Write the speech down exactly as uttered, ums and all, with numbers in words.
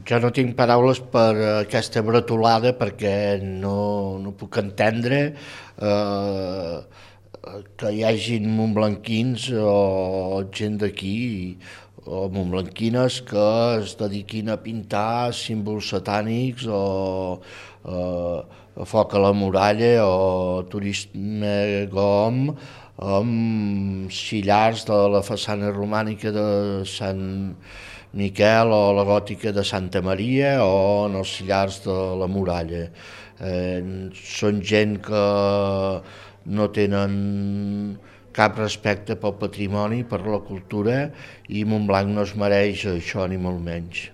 Jo no tinc paraules per aquesta bretolada perquè no, no puc entendre eh, que hi hagin montblanquins o gent d'aquí o montblanquines que es dediquin a pintar símbols satànics o eh, foc a la muralla o turisme gom amb xillars de la façana romànica de Sant Miquel o la gòtica de Santa Maria o en els sillars de la muralla. Eh, són gent que no tenen cap respecte pel patrimoni, per la cultura, i Montblanc no es mereix això ni molt menys.